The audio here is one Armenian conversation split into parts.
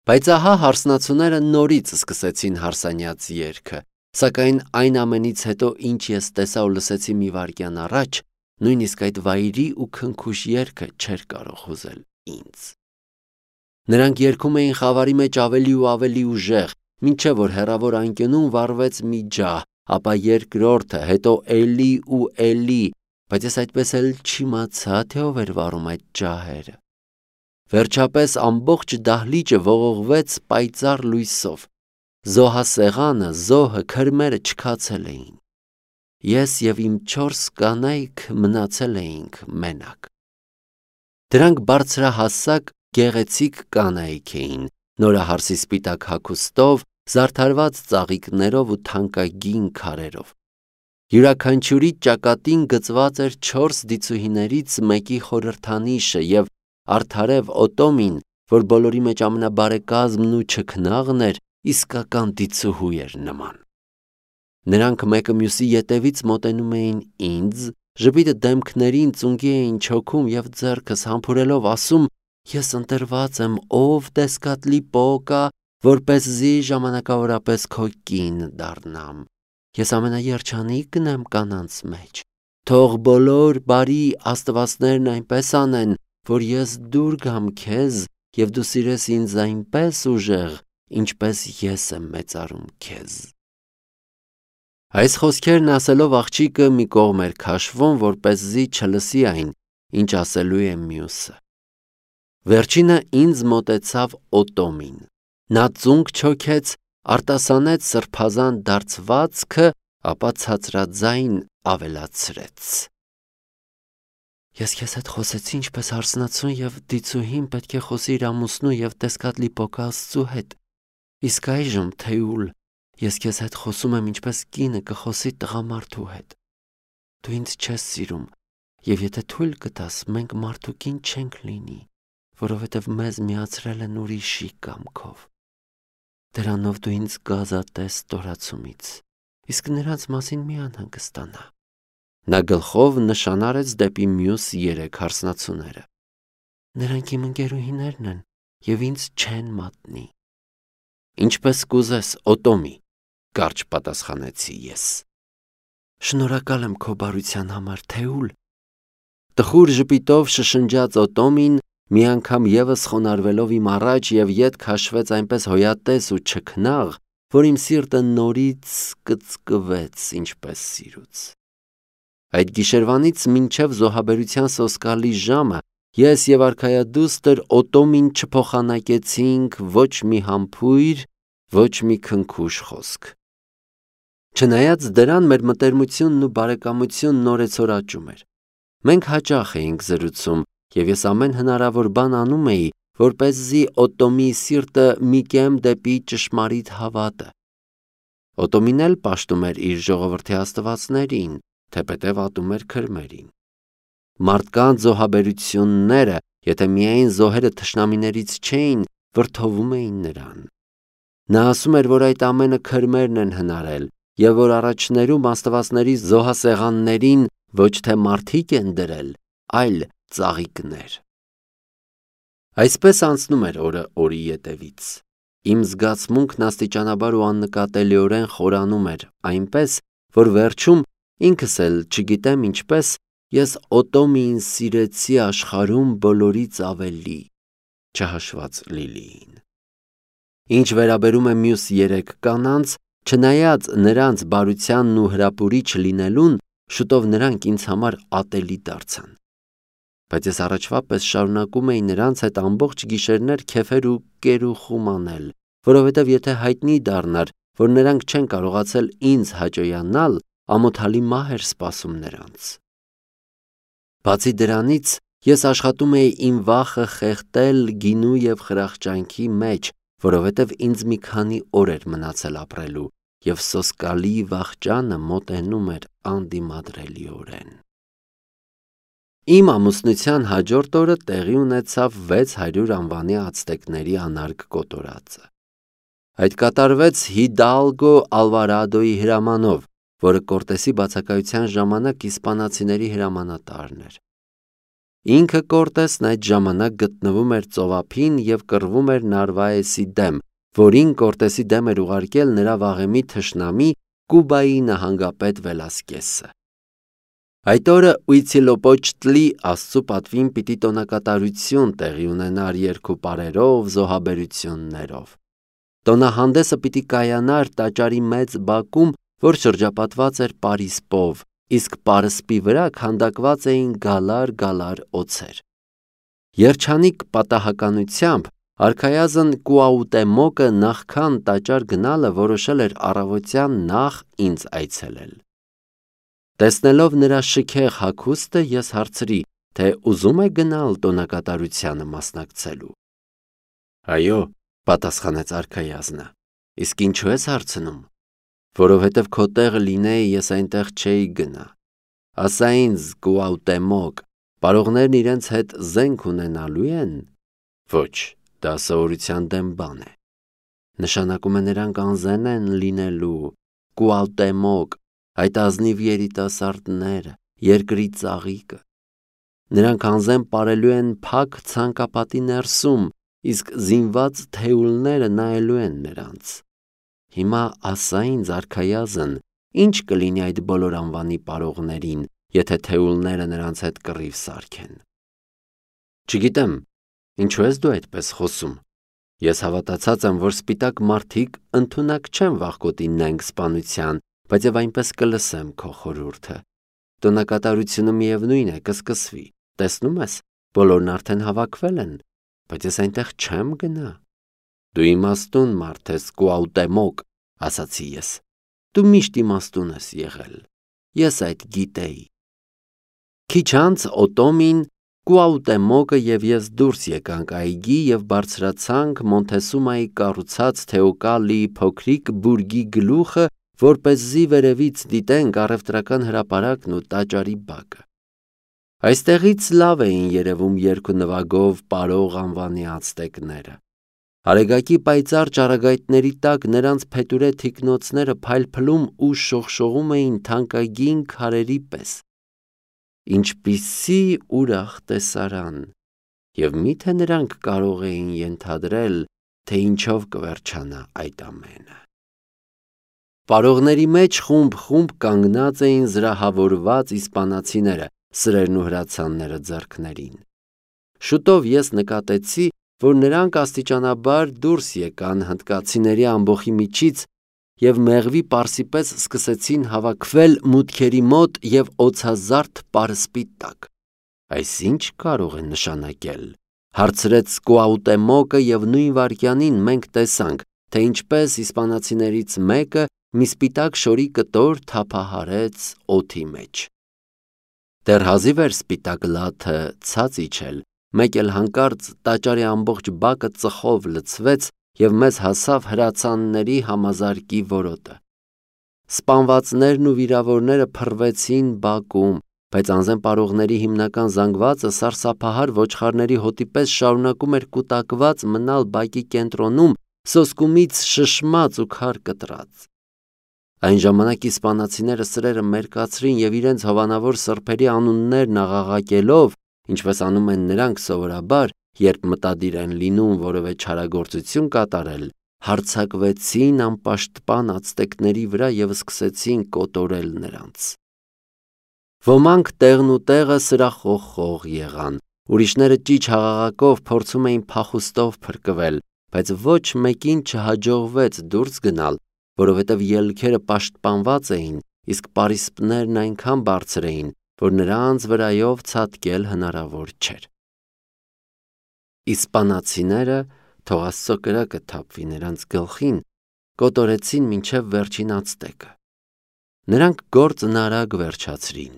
Բայց ահա հարսնացուները նորից սկսեցին հարսանյաց երգը, սակայն այն ամենից հետո, ինչ ես տեսա ու լսեցի մի վայրկյան առաջ, նույնիսկ այդ վայրի ու քնքուշ երգը չէր կարող հուզել ինձ։ Նրանք երգում էին խավարի մեջ ավելի ու ավելի ուժեղ, մինչև որ հեռավոր անկյունում վառվեց մի ջահ, ապա երկրորդը, հետո էլի ու էլի, բայց ես այդպես էլ չիմացա, թե ով էր վառում այդ ջահերը։ Վերջապես ամբողջ դահլիճը ողողվեց պայծառ լույսով։ Զոհասեղանը, զոհը, քրմերը չքացել էին։ Ես և իմ 4 կանայք մնացել էինք մենակ։ Դրանք բարձրահասակ, գեղեցիկ կանայք էին, նորահարսի սպիտակ հագուստով, զարդարված ծաղիկներով ու թանկագին քարերով։ Յուրաքանչյուրի ճակատին գծված էր 4 դիցուհիներից մեկի խորհրդանիշը և արդարև Օտոմին, որ բոլորի մեջ ամենաբարեկազմն ու չքնաղն էր, իսկական դիցուհու էր նման։ Նրանք մեկը մյուսի ետևից մոտենում էին ինձ, ժպիտը դեմքներին ծունկի էին չոքում և ձեռքս համբուրելով ասում. «Ես ընտրված եմ, ով Տեսկատլի Պոկա, որպեսզի ժամանակավորապես քո կին դառնամ։ Ես ամենաերջանիկն եմ կանանց մեջ։ Թող բոլոր բարի աստվածներն այնպես անեն, որ ես դուր գամ քեզ և դու սիրես ինձ այնպես ուժեղ, ինչպես ես եմ մեծարում քեզ»։ Այս խոսքերն ասելով աղջիկը մի կողմ էր քաշվում, որպեսզի չլսի այն, ինչ ասելու է մյուսը։ Վերջինը ինձ մոտեցավ Օտոմին։ Նա ծունկ չոքեց, արտասանեց սրբազան դարձվածքը, ապա ցածրաձայն ավելացրեց. «Ես քեզ հետ խոսեցի ինչպես հարսնացուն և դիցուհին պետք է խոսի իր ամուսնու և Տեսկատլի Պոկա Աստծու հետ, իսկ այժմ, Թեուլ, ես քեզ հետ խոսում եմ ինչպես կինը կխոսի տղամարդու հետ։ Դու ինձ չես սիրում, և եթե թույլ կտաս, մենք մարդուկին չենք լինի, որովհետև մեզ միացրել են ուրիշի կամքով։ Դրանով դու ինձ կազատես ստորացումից, իսկ նրանց մասին մի անհանգստանա»։ Նա գլխով նշան արեց դեպի մյուս 3 հարսնացուները։ «Նրանք իմ ընկերուհիներն են և ինձ չեն մատնի»։ «Ինչպես կուզես, Օտոմի», կարճ պատասխանեցի ես։ «Շնորհակալ եմ քո բարության համար, Թեուլ»։ Տխուր ժպիտով շշնջաց Օտոմին, մի անգամ ևս խոնարհվելով իմ առաջ և ետ քաշվեց այնպես հոյատես ու չքնաղ, որ իմ սիրտը նորից կծկվեց ինչպես սիրուց։ Այդ գիշերվանից մինչև զոհաբերության սոսկալի ժամը ես և արքայադուստր Օտոմին չփոխանակեցինք ոչ մի համբույր, ոչ մի քնքուշ խոսք։ Չնայած դրան մեր մտերմությունն ու բարեկամությունն օրեցօր աճում էր։ Մենք հաճախ էինք զրուցում, և ես ամեն հնարավոր բան անում էի, որպեսզի Օտոմի սիրտը մի կեմ դեպի ճշմարիտ հավատը։ Օտոմին էլ պաշտում էր իր ժողովրդի աստվածներին, թեպետև ատում էր քրմերին։ Մարդկանց զոհաբերությունները, եթե միայն զոհերը թշնամիներից չէին, վրդովում էին նրան։ Նա ասում էր, որ այդ ամենը քրմերն են հնարել, և որ առաջներում աստվածների զոհասեղաններին ոչ թե մարդիկ են դրել, այլ ծաղիկներ։ Այսպես անցնում էր օրը օրի ետևից։ Իմ զգացմունքն աստիճանաբար ու աննկատելիորեն խորանում էր, այնպես, որ վերջում, ինքս էլ չգիտեմ ինչպես, ես Օտոմիին սիրեցի աշխարհում բոլորից ավելի, չհաշված Լիլիին։ Ինչ վերաբերում է մյուս 3 կանանց, չնայած նրանց բարությանն ու հրապուրիչ լինելուն, շուտով նրանք ինձ համար ատելի դարձան։ Բայց ես առաջվա պես շարունակում էի նրանց հետ ամբողջ գիշերներ քեֆեր ու կերուխում անել, որովհետև եթե հայտնի դառնար, որ նրանք չեն կարողացել ինձ հաճոյանալ, ամոթալի մահ էր սպասում նրանց։ Բացի դրանից, ես աշխատում էի իմ վախը խեղդել գինու և խրախճանքի մեջ, որովհետև ինձ մի քանի օր էր մնացել ապրելու, և սոսկալի վախճանը մոտենում էր անդիմադրելիորեն։ Իմ ամուսնության հաջորդ օրը տեղի ունեցավ 600 անվանի ացտեկների անարգ կոտորածը։ Այդ կատարվեց Հիդալգո Ալվարադոյի հրամանով, որը Կորտեսի բացակայության ժամանակ իսպանացիների հրամանատարն էր։ Ինքը Կորտեսն այդ ժամանակ գտնվում էր ծովափին և կռվում էր Նարվայեսի դեմ, որին Կորտեսի դեմ էր ուղարկել նրա վաղեմի թշնամի Կուբայի նահանգապետ Վելասկեսը։ Այդ օրը Ուիցիլոպոչտլի աստծու պատվին պիտի տոնակատարություն տեղի ունենար երկու պարերով, զոհաբերություններով։ Տոնահանդեսը պիտի կայանար տաճարի մեծ բակում, որ շրջապատված էր պարիսպով, իսկ պարսպի վրա քանդակված էին գալար օձեր։ Երջանիկ պատահականությամբ արքայազն Կուաուտեմոկը նախքան տաճար գնալը որոշել էր առավոտյան նախ ինձ այցելել։ Տեսնելով նրա շքեղ հագուստը ես հարցրի, թե ուզում է գնալ տոնակատարությանը մասնակցելու։ Այո, պատասխանեց արքայազնը, իսկ ինչու ես հարցնում, որովհետև քո տեղը լինեի ես այնտեղ չէի գնա։ Ասա ինձ, Կուաուտեմոկ, պարողներն իրենց հետ զենք ունենալու են։ Ոչ, դա սովորության դեմ բան է։ Նշանակում է նրանք անզեն են լինելու, Կուաուտեմոկ, այդ ազնիվ երիտասարդները, երկրի ծաղիկը։ Նրանք անզեն պարելու են փակ ցանկապատի ներսում, իսկ զինված թեյուլները նայելու են նրանց։ Հիմա ասա ինձ, արքայազն, ինչ կլինի այդ բոլոր անվանի պարողներին, եթե թեյուլները նրանց հետ կռիվ սարքեն։ Չգիտեմ, ինչու ես դու այդպես խոսում։ Ես հավատացած եմ, որ սպիտակ մարդիկ ընդունակ չեն վախկոտի նենգ սպանության, բայց եւ այնպես կլսեմ քո խորհուրդը։ Տոնակատարությունը միևնույն է, կսկսվի։ Տեսնում ես, բոլորն արդեն հավաքվել են, բայց ես այնտեղ չեմ գնա։ Դու իմաստուն մարդ ես, Կուաուտեմոկ, ասացի ես։ Դու միշտ իմաստուն ես եղել։ Ես այդ գիտեի։ Քիչ անց Օտոմին, Կուաուտեմոկը եւ ես դուրս եկանք այգի եւ բարձրացանք Մոնթեսումայի կառուցած Թեոկալիի փոքրիկ բուրգի գլուխը, որպեսզի վերևից դիտենք առևտրական հրապարակն ու տաճարի բակը։ Այստեղից լավ էին երևում երկու նվագով պարող անվանի ացտեկները։ Արեգակի պայծառ ճառագայթների տակ նրանց փետուրե թիկնոցները փայլփլում ու շողշողում էին թանկագին քարերի պես։ Ինչպիսի ուրախ տեսարան, և միթե նրանք կարող էին ենթադրել, թե ինչով կվերջանա այդ ամենը։ Պարողների մեջ խումբ կանգնած էին զրահավորված իսպանացիները, սրերն ու հրացանները ձեռքներին։ Շուտով ես նկատեցի, որ նրանք աստիճանաբար դուրս եկան հնդկացիների ամբոխի միջից և մեղվի պարսի պես սկսեցին հավաքվել մուտքերի մոտ և օձազարդ պարսպի տակ։ Այս ինչ կարող է նշանակել, հարցրեց Կուաուտեմոկը, և նույն վայրկյանին մենք տեսանք, թե ինչպես իսպանացիներից մեկը մի սպիտակ շորի կտոր թափահարեց օդի մեջ։ Դեռ հազիվ էր սպիտակ լաթը ցած իջել, մեկ էլ հանկարծ տաճարի ամբողջ բակը ծխով լցվեց և մեզ հասավ հրացանների համազարկի որոտը։ Սպանվածներն ու վիրավորները փռվեցին բակում, բայց անզեն պարողների հիմնական զանգվածը սարսափահար ոչխարների հոտի պես շարունակում էր կուտակված մնալ բակի կենտրոնում, սոսկումից շշմած ու քար կտրած։ Այն ժամանակ իսպանացիները սրերը մերկացրին և իրենց հովանավոր սրբերի անուններն աղաղակելով, ինչպես անում են նրանք սովորաբար, երբ մտադիր են լինում որևէ չարագործություն կատարել, հարձակվեցին անպաշտպան ացտեկների վրա և սկսեցին կոտորել նրանց։ Ոմանք տեղն ու տեղը սրախողխող եղան, ուրիշները ճիչ հաղաղակով փորձում էին փախուստով փրկվել, բայց ոչ մեկին չհաջողվեց դուրս գնալ, որովհետև ելքերը պաշտպանված էին, իսկ պարիսպներն այնքան բարձր էին, որ նրանց վրայով ցատկել հնարավոր չէր։ Իսպանացիները, թող Աստծո կրակը թափվի նրանց գլխին, կոտորեցին մինչև վերջին ացտեկը։ Նրանք գործն արագ վերջացրին։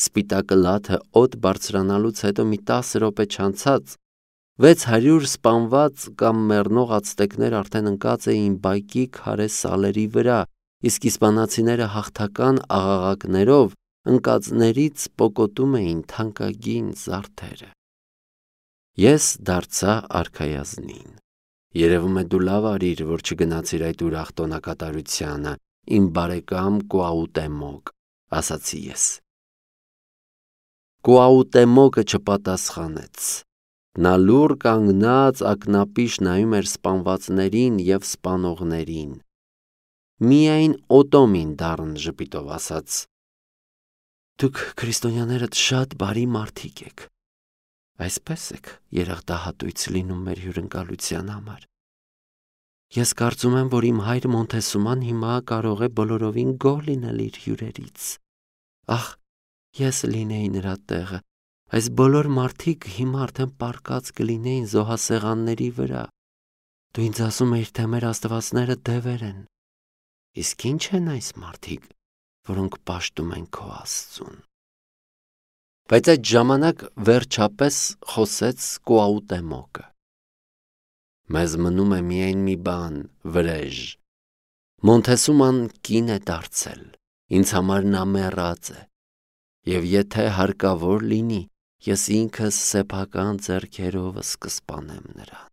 Սպիտակը լաթը օդ բարձրանալուց հետո մի 10 րոպե չանցած 600 սպանված կամ մեռնող ացտեկներ արդեն ընկած էին բակի քարե սալերի վրա, իսկ իսպանացիները հաղթական աղաղակներով ընկածներից պոկոտում էին թանկագին զարդերը։ Ես դարձա արքայազնին։ Երևում է դու լավ արիր, որ չգնացիր այդ ուրախ տոնակատարությանը, իմ բարեկամ Կուաուտեմոկ, ասացի ես։ Կուաուտեմոկը չպատասխանեց։ Նա լուռ կանգնած ակնապիշ նայում էր սպանվածներին և սպանողներին։ Միայն Օտոմին դառն ժպիտով ասաց. «Դուք քրիստոնյաներդ շատ բարի մարդիկ եք։ Այսպես եք երախտահատույց լինում մեր հյուրընկալության համար։ Ես կարծում եմ, որ իմ հայր Մոնթեսուման հիմա կարող է բոլորովին գոհ լինել իր հյուրերից։ Ախ, ես լինեի նրա տեղը, այս բոլոր մարդիկ հիմա արդեն պառկած կլինեին զոհասեղանների վրա։ Դու ինձ ասում էիր, թե մեր աստվածները դևեր են։ Իսկ ի՞նչ են այս մարդիկ, որոնք պաշտում են քո Աստծուն»։ Բայց այդ ժամանակ վերջապես խոսեց Կուաուտեմոկը. «Մեզ մնում է միայն մի բան, վրեժ։ Մոնթեսուման կին է դարձել, ինձ համար նա մեռած է, և եթե հարկավոր լինի, ես ինքս սեփական ձեռքերովս կսպանեմ նրան։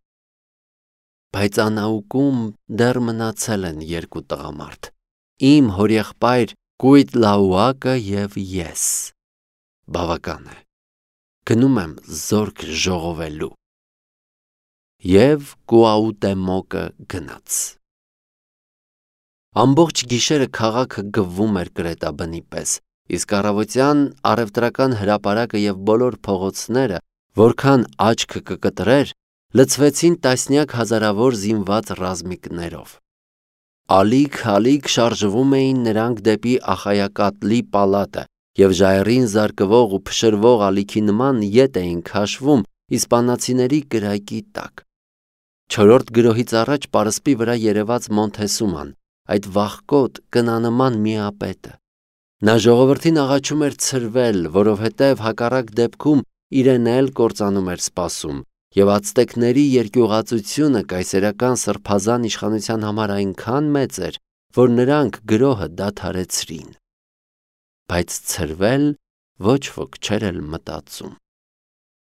Բայց անաուկում դեռ մնացել են երկու տղամարդ, իմ հորեղբայր Կույտլաուակը և ես։ Բավական է, գնում եմ զորք ժողովելու»։ Եվ Կուաուտեմոկը գնաց։ Ամբողջ գիշերը քաղաքը գվվում էր կրետաբնի պես, իսկ առավոտյան առևտրական հրապարակը և բոլոր փողոցները, որքան աչքը կկտրեր, լցվեցին տասնյակ հազարավոր զինված ռազմիկներով։ Ալիք-ալիք շարժվում էին նրանք դեպի Ախայակատլի պալատը և ժայռին զարկվող ու փշրվող ալիքի նման ետ էին քաշվում իսպանացիների կրակի տակ։ Չորրորդ գրոհից առաջ պարսպի վրա երևաց Մոնթեսուման, այդ վախկոտ կնանման միապետը։ Նա ժողովրդին աղաչում էր ցրվել, որովհետև հակառակ դեպքում իրեն էլ կործանում էր սպասում, և ացտեկների երկյուղածությունը կայսերական սրբազան իշխանության համար այնքան մեծ էր, որ նրանք գրոհը դադարեցրին։ Բայց ցրվել ոչ ոք չէր էլ մտածում։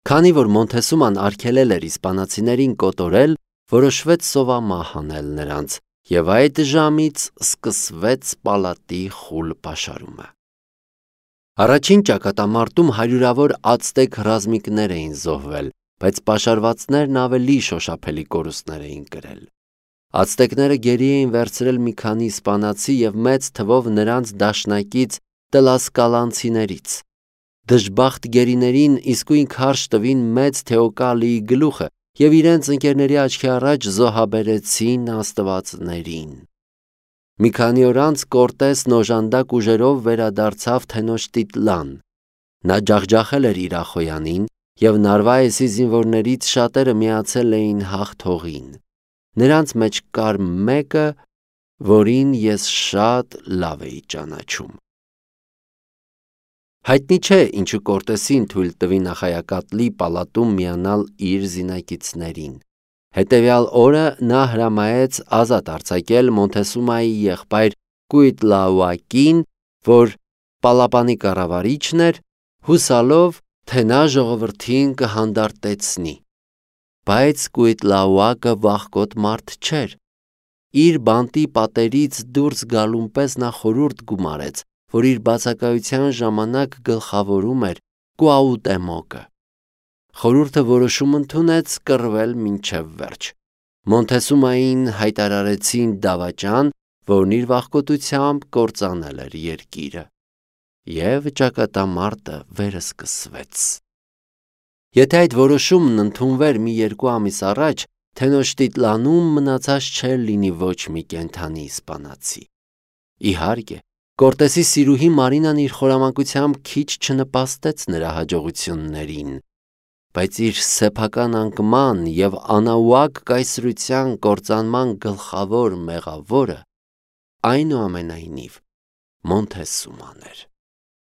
Քանի որ Մոնթեսուման արգելել էր իսպանացիներին կոտորել, որոշվեց սովամահ անել նրանց, և այդ ժամից սկսվեց պալատի խուլ պաշարումը։ Առաջին ճակատամարտում հարյուրավոր ացտեկ ռազմիկներ էին զոհվել, բայց պաշարվածներն ավելի շոշափելի կորուստներ էին կրել։ Ացտեկները գերի էին վերցրել մի քանի իսպանացի և մեծ թվով նրանց դաշնակից տլասկալանցիներից։ Դժբախտ գերիներին իսկույն քարշ տվին մեծ Թեոկալիի գլուխը և իրենց ընկերների աչքի առաջ զոհաբերեցին աստվածներին։ Մի քանի օր անց Կորտեսն օժանդակ ուժերով վերադարձավ Թենոշտիտլան։ Նա ջախջախել էր իր ախոյանին, և Նարվայեսի զինվորներից շատերը միացել էին հաղթողին։ Նրանց մեջ կար մեկը, որին ես շատ լավ էի ճանաչում։ Հայտնի չէ, ինչու Կորտեսին թույլ տվին Ախայակատլի պալատում միանալ իր զինակիցներին։ Հետևյալ օրը նա հրամայեց ազատ արձակել Մոնթեսումայի եղբայր Կույտլաուակին, որ պալապանի կառավարիչն էր, հուսալով, թե նա ժողովրդին կհանդարտեցնի։ Բայց Կույտլաուակը վախկոտ մարդ չէր։ Իր բանտի պատերից դուրս գալուն պես նա խորհուրդ գումարեց, որ իր բացակայության ժամանակ գլխավորում էր Կուաուտեմոկը։ Խորհուրդը որոշում ընդունեց կռվել մինչև վերջ։ Մոնթեսումային հայտարարեցին դավաճան, որն իր վախկոտությամբ կործանել էր երկիրը։ Եվ ճակատամարտը վերսկսվեց։ Եթե այդ որոշումն ընդունվեր մի երկու ամիս առաջ, Թենոշտիտլանում մնացած չէր լինի ոչ մի կենդանի իսպանացի։ Իհարկե, Կորտեսի սիրուհի Մարինան իր խորամանկությամբ քիչ չնպաստեց նրա հաջողություններին, բայց իր սեփական անկման և անաուակ կայսրության կործանման գլխավոր մեղավորը այնուամենայնիվ Մոնթեսուման էր։